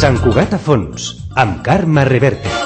Sant Cugat a fons, amb Carme Reverte.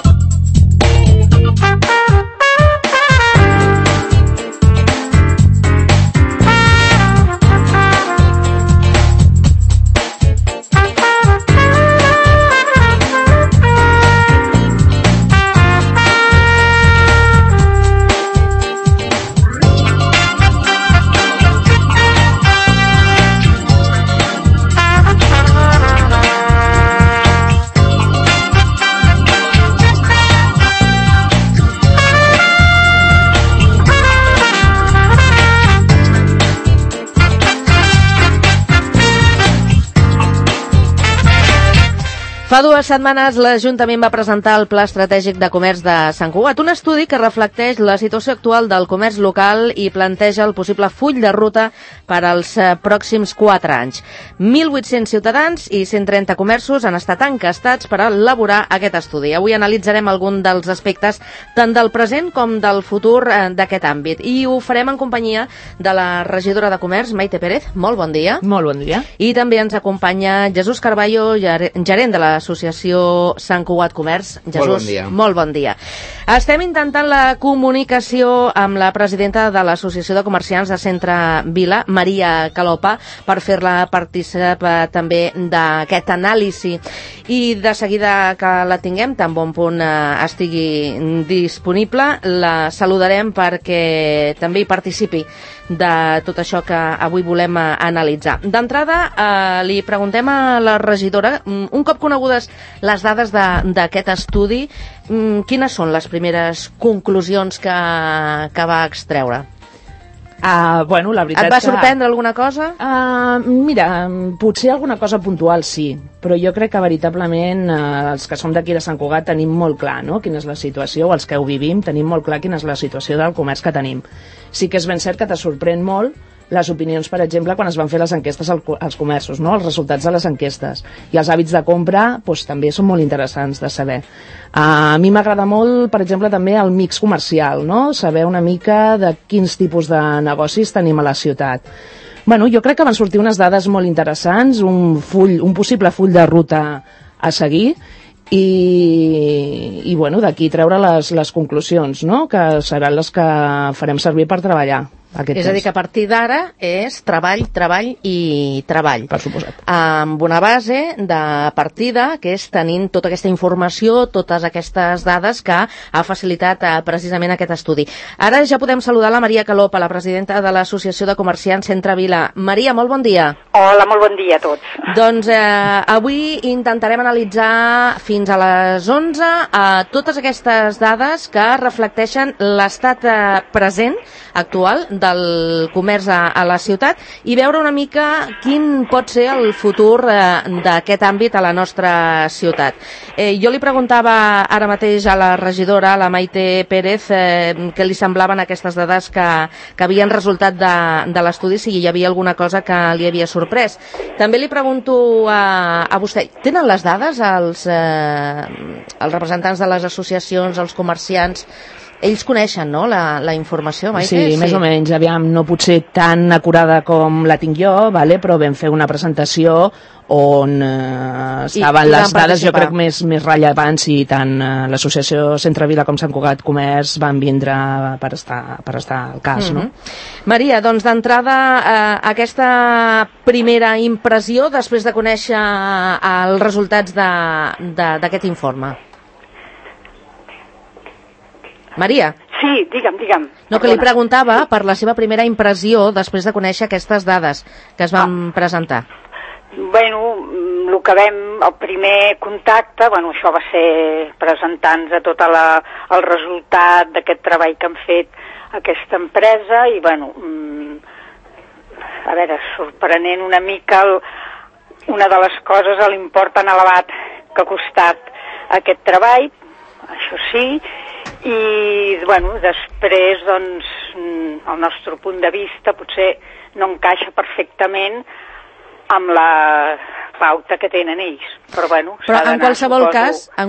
Fa 2 setmanes l'Ajuntament va presentar el Pla Estratègic de Comerç de Sant Cugat, un estudi que reflecteix la situació actual del comerç local i planteja el possible full de ruta per als pròxims 4 anys. 1.800 ciutadans i 130 comerços han estat encastats per elaborar aquest estudi. Avui analitzarem algun dels aspectes tant del present com del futur d'aquest àmbit i ho farem en companyia de la regidora de Comerç, Maite Pérez. Molt bon dia. Molt bon dia. I també ens acompanya Jesús Carballo, gerent de l'Associació Sant Cugat Comerç. Jesús, molt bon dia. Molt bon dia. Estem intentant la comunicació amb la presidenta de l'Associació de Comerciants de Centre Vila, Maria Calopa, per fer-la participar també d'aquest anàlisi. I de seguida que la tinguem, tan bon punt estigui disponible, la saludarem perquè també hi participi de tot això que avui volem analitzar. D'entrada, li preguntem a la regidora, un cop conegudes les dades d'aquest estudi, quines són les primeres conclusions que va extreure? Bueno, la veritat Et va sorprendre alguna cosa? Mira, potser alguna cosa puntual sí, però jo crec que veritablement els que som d'aquí de Sant Cugat tenim molt clar, no?, quina és la situació, o els que ho vivim tenim molt clar quina és la situació del comerç que tenim. Sí que és ben cert que te sorprèn molt les opinions, per exemple, quan es van fer les enquestes als comerços, no?, els resultats de les enquestes. I els hàbits de compra doncs, també són molt interessants de saber. A mi m'agrada molt, per exemple, també el mix comercial, no?, saber una mica de quins tipus de negocis tenim a la ciutat. Bueno, jo crec que van sortir unes dades molt interessants, un possible full de ruta a seguir, i bueno, d'aquí treure les conclusions, no?, que seran les que farem servir per treballar. És a dir, que a partir d'ara és treball, treball i treball. Per suposat. Amb una base de partida, que és tenint tota aquesta informació, totes aquestes dades que ha facilitat precisament aquest estudi. Ara ja podem saludar la Maria Calopa, la presidenta de l'Associació de Comerciants Centre Vila. Maria, molt bon dia. Hola, molt bon dia a tots. Doncs avui intentarem analitzar fins a les 11 totes aquestes dades que reflecteixen l'estat present, actual, del comerç a la ciutat i veure una mica quin pot ser el futur d'aquest àmbit a la nostra ciutat. Jo li preguntava ara mateix a la regidora, la Maite Pérez, què li semblaven aquestes dades que havien resultat de l'estudi, si hi havia alguna cosa que li havia sorprès. També li pregunto a vostè, tenen les dades els representants de les associacions, els comerciants? Ells coneixen, no?, la informació, Maite? Sí, més o menys. Aviam, no pot ser tan acurada com la tinc jo, vale? Però vam fer una presentació on estaven les dades, jo crec, més rellevants, i tant l'Associació Centre Vila com Sant Cugat Comerç van vindre per estar al cas, no? Maria, doncs d'entrada, aquesta primera impressió després de conèixer els resultats d'aquest informe. Maria. Sí, digue'm. No, que li preguntava per la seva primera impressió després de conèixer aquestes dades que es van presentar. Bueno, el que el primer contacte, això va ser presentar-nos tot el resultat d'aquest treball que han fet aquesta empresa i, a veure, sorprenent una mica una de les coses, l'import tan elevat que ha costat aquest treball, això sí. I, després, doncs, el nostre punt de vista potser no encaixa perfectament amb pauta que tenen ells. Però bueno, però en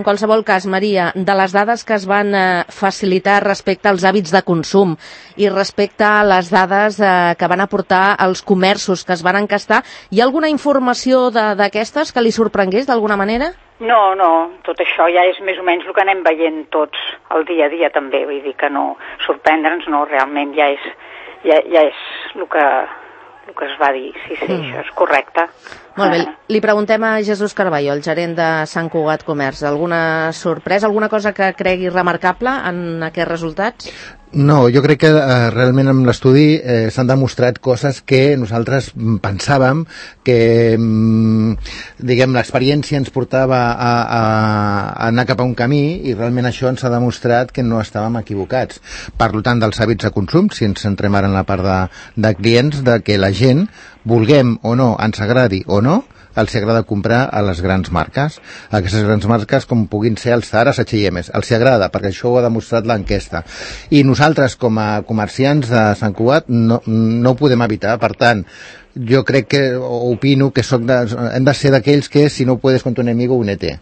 qualsevol cas, Maria, de les dades que es van facilitar respecte als hàbits de consum i respecte a les dades que van aportar els comerços que es van encastar, hi ha alguna informació d'aquestes que li sorprengués d'alguna manera? No, tot això ja és més o menys el que anem veient tots el dia a dia també, vull dir que no sorprendre'ns, no, realment ja és el que es va dir, sí, això és correcte. Molt bé, li preguntem a Jesús Carballo, el gerent de Sant Cugat Comerç, alguna sorpresa, alguna cosa que cregui remarcable en aquests resultats? No, jo crec que realment amb l'estudi s'han demostrat coses que nosaltres pensàvem que, diguem, l'experiència ens portava a anar cap a un camí i realment això ens ha demostrat que no estàvem equivocats. Per tant, dels hàbits de consum, si ens centrem ara en la part de clients, de que la gent, vulguem o no, ens agradi o no, els agrada comprar a les grans marques. Aquestes grans marques com puguin ser els Zara, H&M, els agrada, perquè això ho ha demostrat l'enquesta. I nosaltres, com a comerciants de Sant Cugat, no ho podem evitar. Per tant, jo crec que, opino que hem de ser d'aquells que si no puedes con tu enemigo, únete.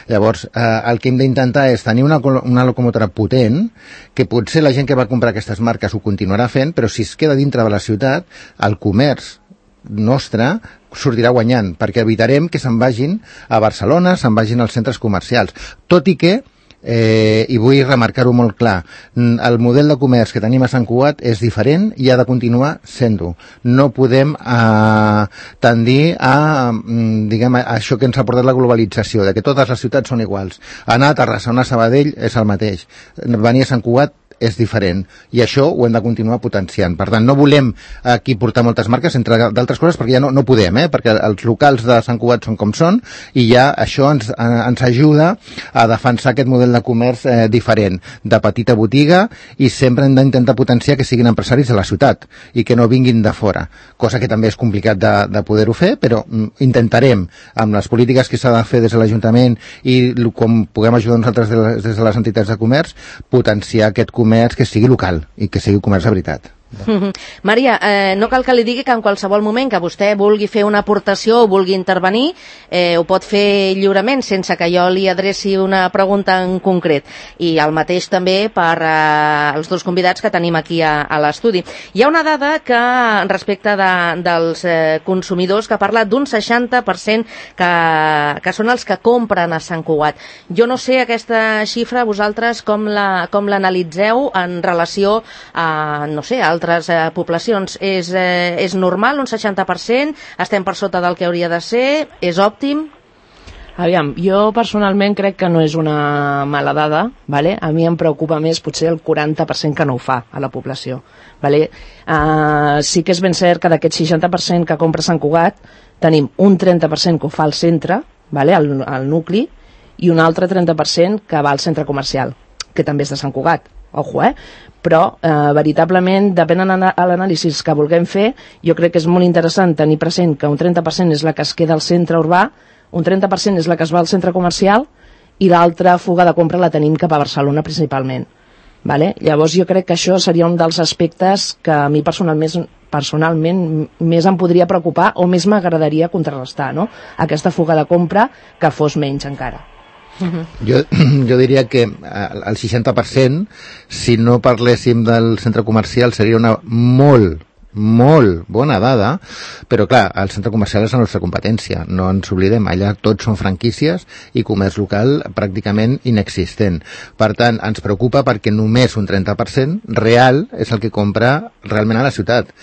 Llavors, el que hem d'intentar és tenir una locomotora potent, que potser la gent que va comprar aquestes marques ho continuarà fent, però si es queda dintre de la ciutat, el comerç nostre sortirà guanyant, perquè evitarem que se'n vagin a Barcelona, se'n vagin als centres comercials. Tot i que, i vull remarcar-ho molt clar, el model de comerç que tenim a Sant Cugat és diferent i ha de continuar sent-ho. No podem tendir a, diguem, a això que ens ha portat la globalització, de que totes les ciutats són iguals. Anar a Terrassa, anar a Sabadell és el mateix. Venir a Sant Cugat és diferent, i això ho hem de continuar potenciant. Per tant, no volem aquí portar moltes marques, entre d'altres coses, perquè ja no podem, perquè els locals de Sant Cugat són com són, i ja això ens ajuda a defensar aquest model de comerç diferent, de petita botiga, i sempre hem d'intentar potenciar que siguin empresaris de la ciutat, i que no vinguin de fora, cosa que també és complicat de poder-ho fer, però intentarem, amb les polítiques que s'ha de fer des de l'Ajuntament i com puguem ajudar nosaltres des de les entitats de comerç, potenciar aquest comerç que sigui local i que sigui comerç de veritat. Maria, no cal que li digui que en qualsevol moment que vostè vulgui fer una aportació o vulgui intervenir, ho pot fer lliurement sense que jo li adreci una pregunta en concret, i el mateix també per els dos convidats que tenim aquí a l'estudi. Hi ha una dada que respecte dels consumidors que parla d'un 60% que són els que compren a Sant Cugat. Jo no sé aquesta xifra vosaltres com l'analitzeu en relació a, no sé, altres poblacions. És normal, un 60%? Estem per sota del que hauria de ser? És òptim? Aviam, jo personalment crec que no és una mala dada, ¿vale? A mi em preocupa més potser el 40% que no ho fa a la població, ¿vale? Sí que és ben cert que d'aquest 60% que compra Sant Cugat tenim un 30% que ho fa al centre, ¿vale? al nucli, i un altre 30% que va al centre comercial, que també és de Sant Cugat. Ojo, però veritablement, depenent de l'anàlisi que vulguem fer, jo crec que és molt interessant tenir present que un 30% és la que es queda al centre urbà, un 30% és la que es va al centre comercial, i l'altra fuga de compra la tenim cap a Barcelona principalment. Vale? Llavors jo crec que això seria un dels aspectes que a mi personalment més em podria preocupar o més m'agradaria contrarrestar, no? Aquesta fuga de compra que fos menys encara. Jo diria que el 60%, si no parléssim del centre comercial, seria una molt bona dada, però clar, el centre comercial és la nostra competència, no ens oblidem, allà tots són franquícies i comerç local pràcticament inexistent. Per tant, ens preocupa perquè només un 30% real és el que compra realment a la ciutat,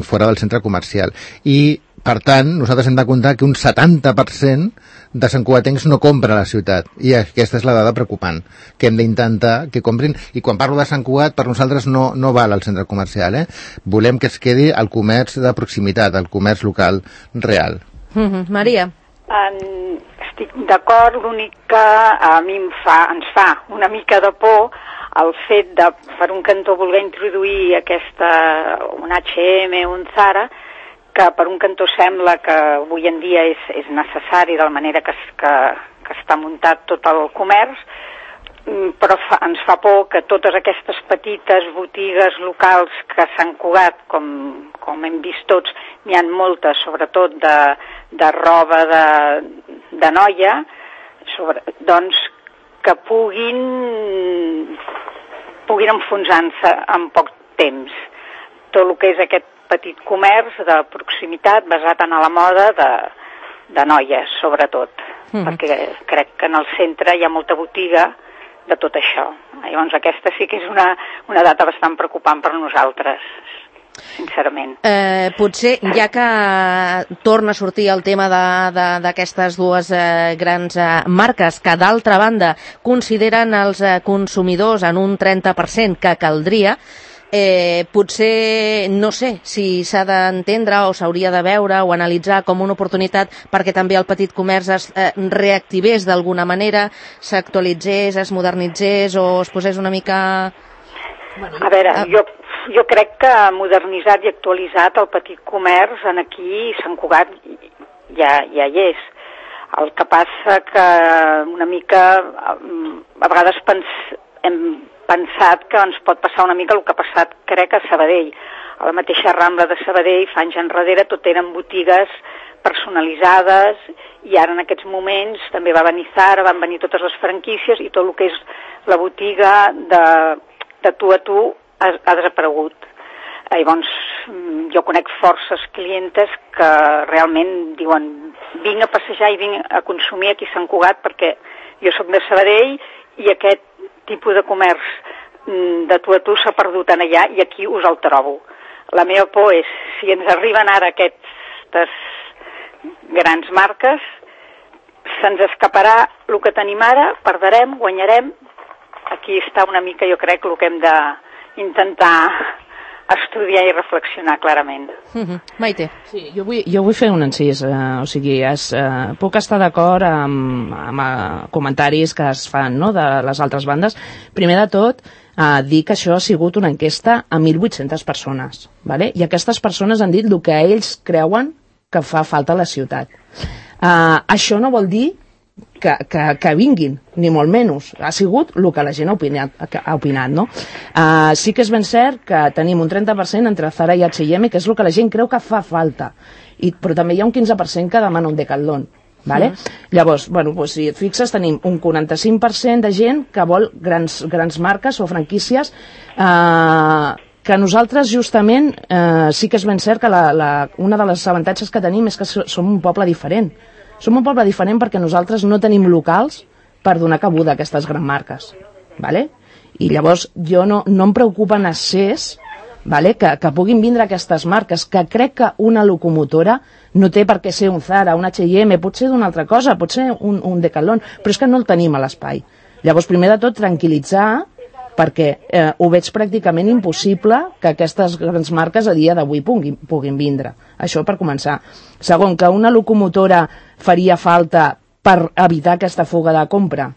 fora del centre comercial. I per tant, nosaltres hem de comptar que un 70% de santcugatencs no compra a la ciutat, i aquesta és la dada preocupant, que hem d'intentar que comprin. I quan parlo de Sant Cugat, per nosaltres no val al centre comercial, volem que es quedi el comerç de proximitat, el comerç local real. Maria. Estic d'acord, l'únic que a mi ens fa una mica de por el fet de, per un cantó, voler introduir un H&M o un Zara, que per un cantó sembla que avui en dia és necessari de la manera que està muntat tot el comerç, però ens fa por que totes aquestes petites botigues locals que a Sant Cugat, com hem vist tots, n'hi ha moltes, sobretot de roba de noia, doncs que puguin enfonsar-se en poc temps. Tot el que és aquest petit comerç de proximitat basat en la moda de noies, sobretot, perquè crec que en el centre hi ha molta botiga de tot això. Llavors aquesta sí que és una data bastant preocupant per nosaltres, sincerament. Potser, ja que torna a sortir el tema d'aquestes dues grans marques, que d'altra banda consideren els consumidors en un 30% que caldria, potser, no sé si s'ha d'entendre o s'hauria de veure o analitzar com una oportunitat perquè també el petit comerç es reactivés d'alguna manera, s'actualitzés, es modernitzés o es posés una mica... A veure, jo crec que modernitzat i actualitzat el petit comerç en aquí Sant Cugat ja hi és. El que passa que una mica a vegades hem pensat que ens pot passar una mica el que ha passat, crec, a Sabadell. A la mateixa Rambla de Sabadell, fa anys enrere, tot eren botigues personalitzades i ara en aquests moments també va venir Zara, van venir totes les franquícies i tot el que és la botiga de tu a tu ha desaparegut. Llavors, jo conec forces clientes que realment diuen vinc a passejar i vinc a consumir aquí a Sant Cugat perquè jo sóc de Sabadell i aquest tipus de comerç de tu a tu s'ha perdut en allà i aquí us el trobo. La meva por és, si ens arriben ara aquestes grans marques, se'ns escaparà el que tenim ara, perderem, guanyarem. Aquí està una mica, jo crec, el que hem d'intentar estudiar i reflexionar clarament. Maite. Sí, jo vull fer un incís, o sigui, puc estar d'acord amb comentaris que es fan, no?, de les altres bandes. Primer de tot, dir que això ha sigut una enquesta a 1.800 persones, ¿vale? I aquestes persones han dit el que ells creuen que fa falta a la ciutat. Això no vol dir que vinguin, ni molt menys. Ha sigut el que la gent ha opinat, no? Sí que és ben cert que tenim un 30% entre Zara i H&M, que és el que la gent creu que fa falta. Però també hi ha un 15% que demana un Decathlon. Vale? Llavors, bueno, doncs, si et fixes, tenim un 45% de gent que vol grans marques o franquícies que nosaltres justament sí que és ben cert que una de les avantatges que tenim és que som un poble diferent. Som un poble diferent perquè nosaltres no tenim locals per donar cabuda a aquestes grans marques. ¿Vale? I llavors jo no em preocupa en excés, ¿vale?, que puguin vindre aquestes marques, que crec que una locomotora no té per què ser un Zara, un H&M, pot ser d'una altra cosa, pot ser un Decathlon, però és que no el tenim a l'espai. Llavors, primer de tot, tranquil·litzar, perquè ho veig pràcticament impossible que aquestes grans marques a dia d'avui puguin vindre. Això per començar. Segon, que una locomotora faria falta per evitar aquesta fuga de compra,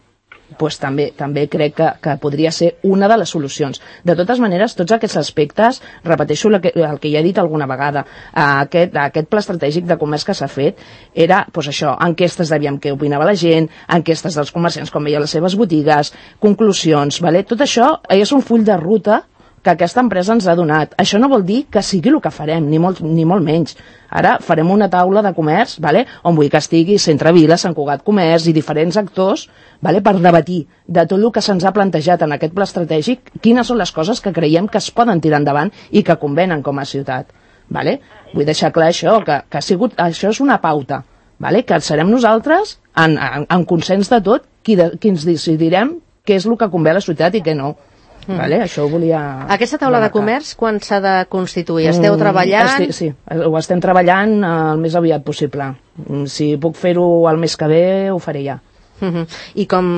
pues també crec que podria ser una de les solucions. De totes maneres, tots aquests aspectes, repeteixo el que ja he dit alguna vegada, aquest pla estratègic de comerç que s'ha fet era, pues això, enquestes d'aviam què opinava la gent, enquestes dels comerciants com veia les seves botigues, conclusions, ¿vale? Tot això és un full de ruta que aquesta empresa ens ha donat. Això no vol dir que sigui el que farem, ni molt menys. Ara farem una taula de comerç, ¿vale?, on vull que estigui Centre Vila, Sant Cugat Comerç i diferents actors, ¿vale?, per debatir de tot el que se'ns ha plantejat en aquest pla estratègic, quines són les coses que creiem que es poden tirar endavant i que convenen com a ciutat. ¿Vale? Vull deixar clar això, que això és una pauta, ¿vale?, que serem nosaltres, en consens de tot, qui ens decidirem què és el que convé a la ciutat i què no. Vale? Això ho volia... Aquesta taula de comerç, quan s'ha de constituir? Esteu treballant? Sí, ho estem treballant el més aviat possible. Si puc fer-ho el mes que ve, ho faré ja. I com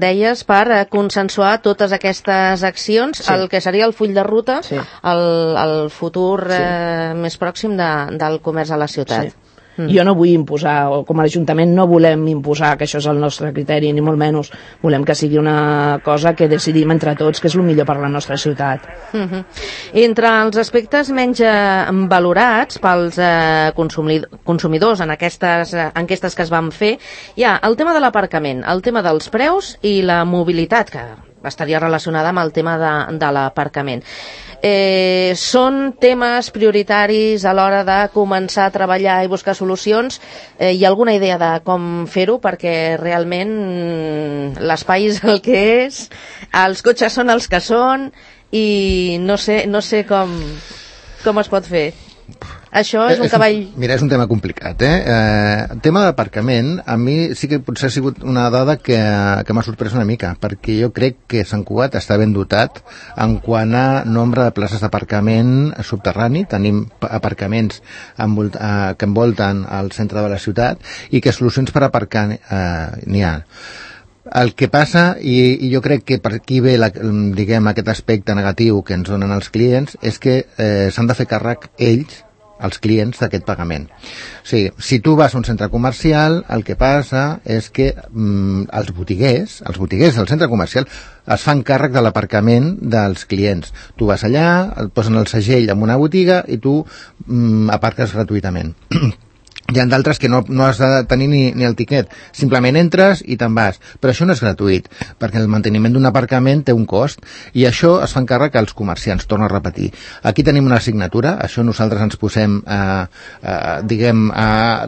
deies, per consensuar totes aquestes accions, el que seria el full de ruta, el futur més pròxim del comerç a la ciutat. Jo no vull imposar, o com a Ajuntament no volem imposar que això és el nostre criteri, ni molt menys. Volem que sigui una cosa que decidim entre tots, que és el millor per la nostra ciutat. Entre els aspectes menys valorats pels consumidors en aquestes enquestes que es van fer, hi ha el tema de l'aparcament, el tema dels preus i la mobilitat, que estaria relacionada amb el tema de l'aparcament. Són temes prioritaris a l'hora de començar a treballar i buscar solucions. Hi ha alguna idea de com fer-ho? Perquè realment l'espai és el que és, els cotxes són els que són i no sé com es pot fer. Això és un cavall... Mira, és un tema complicat, El tema d'aparcament, a mi sí que potser ha sigut una dada que m'ha sorprès una mica, perquè jo crec que Sant Cugat està ben dotat en quant a nombre de places d'aparcament subterrani. Tenim aparcaments que envolten el centre de la ciutat i que solucions per aparcar n'hi ha. El que passa, i jo crec que per aquí ve diguem, aquest aspecte negatiu que ens donen els clients, és que s'han de fer càrrec ells, els clients, d'aquest pagament. O sigui, si tu vas a un centre comercial, el que passa és que els botiguers del centre comercial es fan càrrec de l'aparcament dels clients. Tu vas allà, et posen el segell en una botiga i tu aparques gratuïtament. Hi ha d'altres que no has de tenir ni el tiquet, simplement entres i te'n vas, però això no és gratuït, perquè el manteniment d'un aparcament té un cost, i això es fan càrrec als comerciants, torno a repetir. Aquí tenim una assignatura, això nosaltres ens posem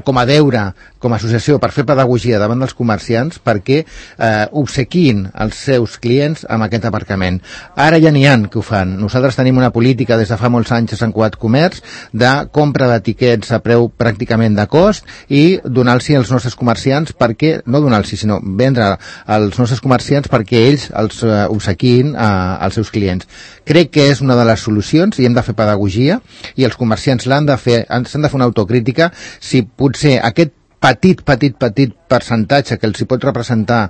com a deure, com a associació, per fer pedagogia davant dels comerciants, perquè obsequin els seus clients amb aquest aparcament. Ara ja n'hi ha que ho fan. Nosaltres tenim una política des de fa molts anys a Sant Cugat Comerç de compra de tiquets a preu pràcticament de cost i donar-los als nostres comerciants perquè, no donar-los, sinó vendre als nostres comerciants perquè ells els obsequin als seus clients. Crec que és una de les solucions i hem de fer pedagogia i els comerciants s'han de fer una autocrítica si potser aquest petit percentatge que els hi pot representar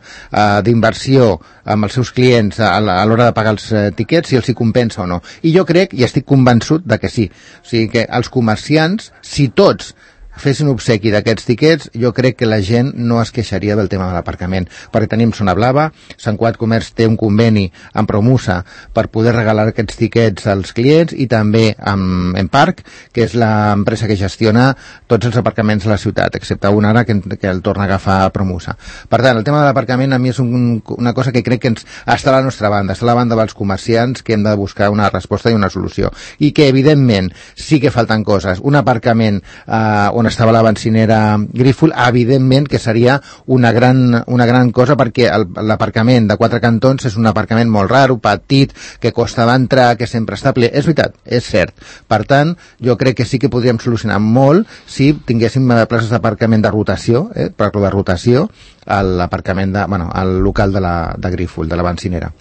d'inversió amb els seus clients a l'hora de pagar els tiquets, si els hi compensa o no. I jo crec, i estic convençut de que sí. O sigui que els comerciants, si tots fessin obsequi d'aquests tiquets, jo crec que la gent no es queixaria del tema de l'aparcament, perquè tenim Zona Blava, Sant Cugat Comerç té un conveni amb Promusa per poder regalar aquests tiquets als clients i també amb Emparc, que és l'empresa que gestiona tots els aparcaments de la ciutat, excepte un ara que el torna a agafar Promusa. Per tant, el tema de l'aparcament a mi és una cosa que crec que està a la nostra banda, està a la banda dels comerciants, que hem de buscar una resposta i una solució. I que, evidentment, sí que falten coses. Un aparcament on estava la bencinera Grífol, evidentment que seria una gran cosa, perquè l'aparcament de 4 cantons és un aparcament molt raro, petit, que costa d'entrar, que sempre està ple. És veritat, és cert. Per tant, jo crec que sí que podríem solucionar molt si tinguéssim places d'aparcament de rotació, per la rotació, l'aparcament al local de Grífol, de la bencinera.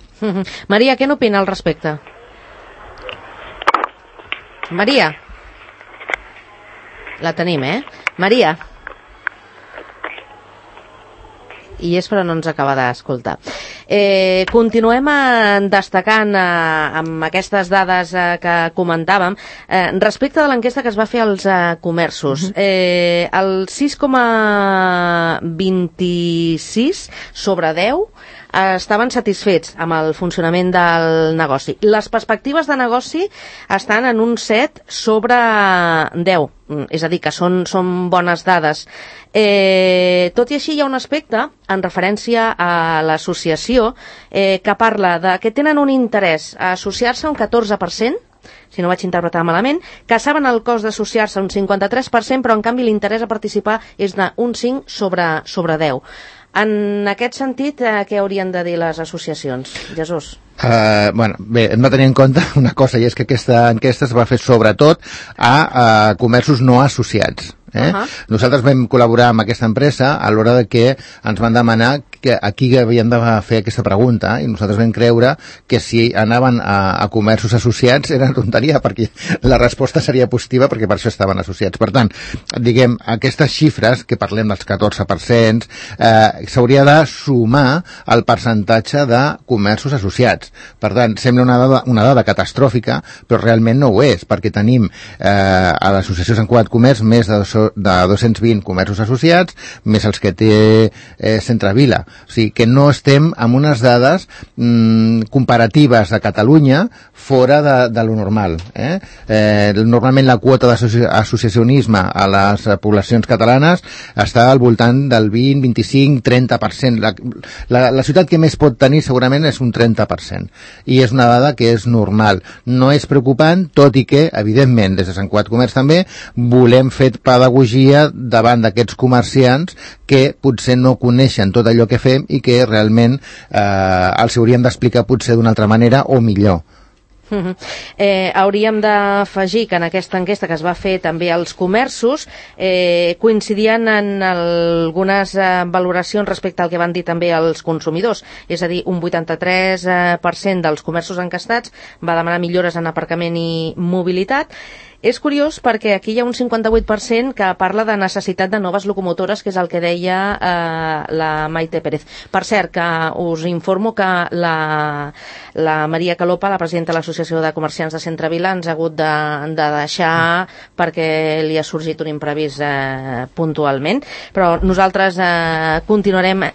Maria, què n'opina al respecte? Maria? La tenim, Maria? I és però no ens acaba d'escoltar. Continuem destacant amb aquestes dades que comentàvem respecte de l'enquesta que es va fer als comerços. El 6,26 sobre 10 estaven satisfets amb el funcionament del negoci. Les perspectives de negoci estan en un 7 sobre 10, és a dir, que són bones dades. Tot i així hi ha un aspecte en referència a l'associació que parla de que tenen un interès a associar-se un 14%, si no vaig interpretar malament, que saben el cost d'associar-se un 53%, però en canvi l'interès a participar és d'un 5 sobre 10. En aquest sentit, què haurien de dir les associacions? Jesús? Bé, hem de tenir en compte una cosa, i és que aquesta enquesta es va fer sobretot a comerços no associats. Nosaltres vam col·laborar amb aquesta empresa a l'hora de que ens van demanar que aquí havien de fer aquesta pregunta, i nosaltres vam creure que si anaven a comerços associats era tonteria, perquè la resposta seria positiva, perquè per això estaven associats. Per tant, diguem, aquestes xifres, que parlem dels 14%, s'hauria de sumar al percentatge de comerços associats. Per tant, sembla una dada catastròfica, però realment no ho és, perquè tenim a l'Associació Sant Cugat Comerç més de 220 comerços associats, més els que té Centre Vila. O sigui que no estem amb unes dades comparatives a Catalunya fora de lo normal. Normalment la quota d'associacionisme a les poblacions catalanes està al voltant del 20, 25, 30%. La ciutat que més pot tenir segurament és un 30%. I és una dada que és normal. No és preocupant, tot i que, evidentment, des de Sant Cugat Comerç també volem fer pedagogia davant d'aquests comerciants que potser no coneixen tot allò que fem i que realment els hauríem d'explicar potser d'una altra manera o millor. Hauríem d'afegir que en aquesta enquesta que es va fer també als comerços coincidien en algunes valoracions respecte al que van dir també els consumidors, és a dir, un 83% dels comerços encastats va demanar millores en aparcament i mobilitat. És curiós perquè aquí hi ha un 58% que parla de necessitat de noves locomotores, que és el que deia la Maite Pérez. Per cert, que us informo que la Maria Calopa, la presidenta de l'Associació de Comerciants de Centre Vila, ens ha hagut de deixar perquè li ha sorgit un imprevist puntualment. Però nosaltres continuarem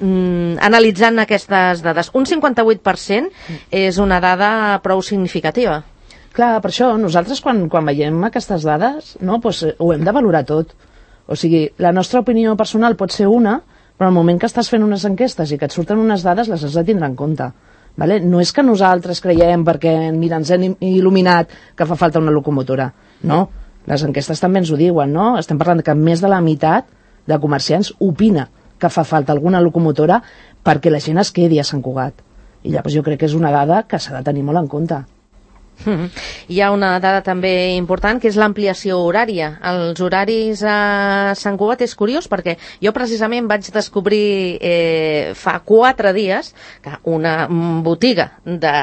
analitzant aquestes dades. Un 58% és una dada prou significativa. Clar, per això nosaltres quan veiem aquestes dades, no, doncs, ho hem de valorar tot. O sigui, la nostra opinió personal pot ser una, però al moment que estàs fent unes enquestes i que et surten unes dades les has de tindre en compte. Vale? No és que nosaltres creiem perquè mira, ens hem il·luminat que fa falta una locomotora. No, les enquestes també ens ho diuen, no? Estem parlant que més de la meitat de comerciants opina que fa falta alguna locomotora perquè la gent es quedi a Sant Cugat. I llavors jo crec que és una dada que s'ha de tenir molt en compte. Hi ha una dada també important, que és l'ampliació horària. Els horaris a Sant Cugat és curiós perquè jo precisament vaig descobrir fa 4 dies que una botiga de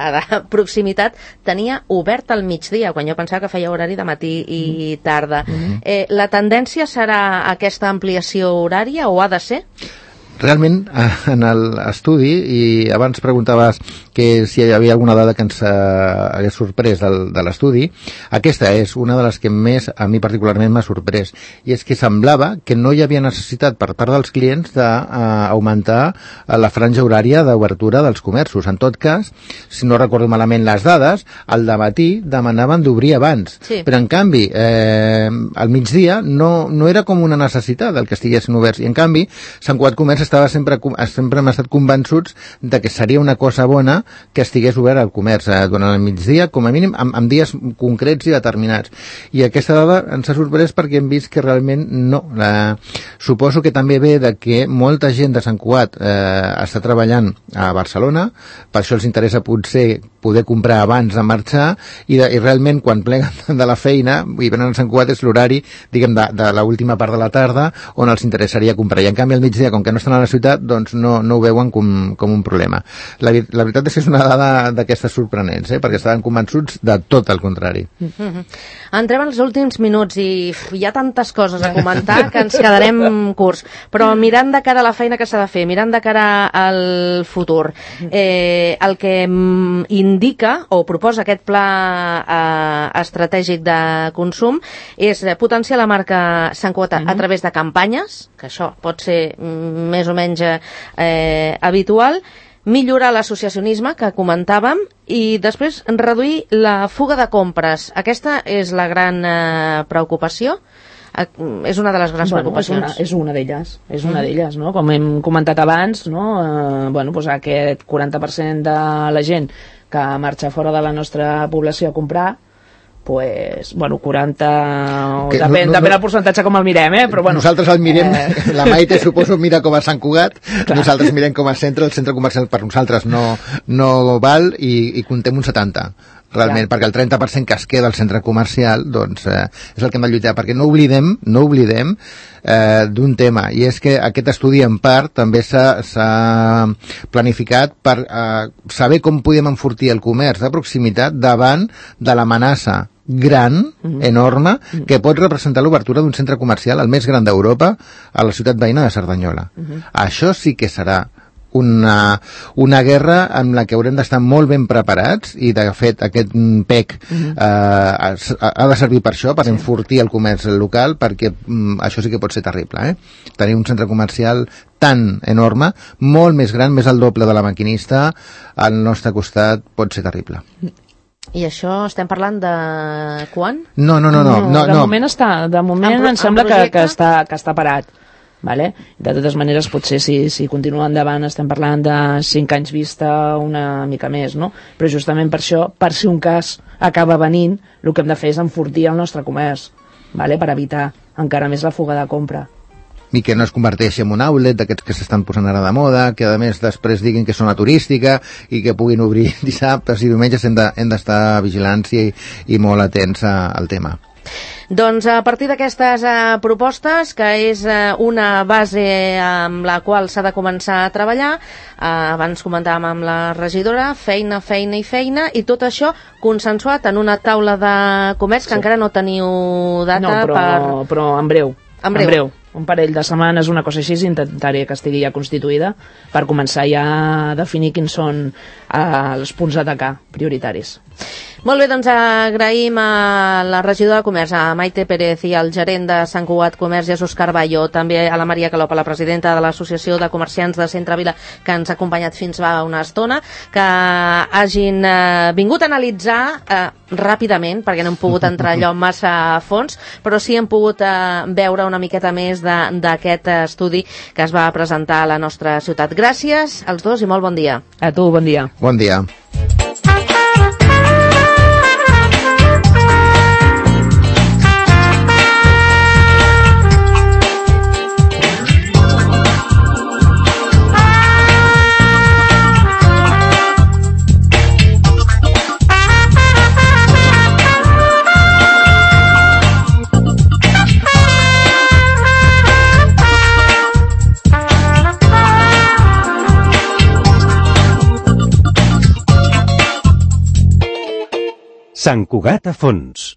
proximitat tenia obert al migdia, quan jo pensava que feia horari de matí i tarda. La tendència serà aquesta ampliació horària o ha de ser? Realment, en l'estudi, i abans preguntaves que si hi havia alguna dada que ens hagués sorprès de l'estudi, aquesta és una de les que més a mi particularment m'ha sorprès, i és que semblava que no hi havia necessitat per part dels clients d'augmentar la franja horària d'obertura dels comerços. En tot cas, si no recordo malament les dades, al dematí demanaven d'obrir abans, sí. Però en canvi al migdia no era com una necessitat el que estiguessin oberts, i en canvi Sant Cugat Comerç sempre hem estat convençuts de que seria una cosa bona que estigués obert al comerç durant el migdia, com a mínim en dies concrets i determinats. I aquesta dada ens ha sorprès perquè hem vist que realment no. Suposo que també ve de que molta gent de Sant Cugat està treballant a Barcelona, per això els interessa potser poder comprar abans de marxar, i realment quan pleguen de la feina i venen a Sant Cugat és l'horari, diguem, de l'última part de la tarda on els interessaria comprar. I en canvi al migdia, com que no estan a la ciutat, doncs no ho veuen com un problema. La veritat és que és una dada d'aquestes sorprenents, perquè estaven convençuts de tot el contrari. Entrem als últims minuts i hi ha tantes coses a comentar que ens quedarem curts, però mirant de cara a la feina que s'ha de fer, mirant de cara al futur, el que indica o proposa aquest pla estratègic de consum és potenciar la marca Sant Cugat a través de campanyes, que això pot ser més o menys habitual, millorar l'associacionisme que comentàvem i després reduir la fuga de compres. Aquesta és la gran preocupació? És una de les grans preocupacions. És una d'elles, no? Com hem comentat abans, no? Doncs aquest 40% de la gent que marxa fora de la nostra població a comprar, pues, 40, depèn del percentatge com el mirem, però bueno. Nosaltres el mirem, la Maite suposo mira com a Sant Cugat, nosaltres mirem com a centre, el centre comercial per nosaltres no val i comptem un 70. realment, perquè el 30% que es queda al centre comercial, doncs, és el que hem de lluitar, perquè no oblidem d'un tema, i és que aquest estudi en part també s'ha planificat per saber com podem enfortir el comerç de proximitat davant de l'amenaça gran, enorme, que pot representar l'obertura d'un centre comercial, el més gran d'Europa, a la ciutat veïna de Cerdanyola. Això sí que serà una guerra en la que haurem d'estar molt ben preparats, i de fet aquest PEC ha de servir per això, per enfortir el comerç local, perquè això sí que pot ser terrible, tenir un centre comercial tan enorme, molt més gran, més al doble de la Maquinista, al nostre costat, pot ser terrible. I això estem parlant de quan? No. De moment em sembla que està parat. Vale? De totes maneres, potser si continua endavant estem parlant de 5 anys vista, una mica més, no? Però justament per això, per si un cas acaba venint, el que hem de fer és enfortir el nostre comerç, vale? Per evitar encara més la fuga de compra. I que no es converteixi en un outlet d'aquests que s'estan posant ara de moda, que a més després diguin que és zona turística i que puguin obrir dissabtes i diumenges. Hem d'estar vigilants i molt atents al tema. Doncs a partir d'aquestes propostes, que és una base amb la qual s'ha de començar a treballar, abans comentàvem amb la regidora, feina, i tot això consensuat en una taula de comerç que encara no teniu data però en breu. Un parell de setmanes, una cosa així, intentaré que estigui ja constituïda per començar ja a definir quins són els punts a atacar prioritaris. Molt bé, doncs agraïm a la regidora de Comerç, a Maite Pérez, i al gerent de Sant Cugat Comerç, Jesús Carballo, també a la Maria Calop, la presidenta de l'Associació de Comerciants de Centre Vila, que ens ha acompanyat fins fa una estona, que hagin vingut a analitzar ràpidament, perquè no hem pogut entrar allò massa a fons, però sí hem pogut veure una miqueta més d'aquest estudi que es va presentar a la nostra ciutat. Gràcies als dos i molt bon dia. A tu, bon dia. Bon dia. Sant Cugat a fons.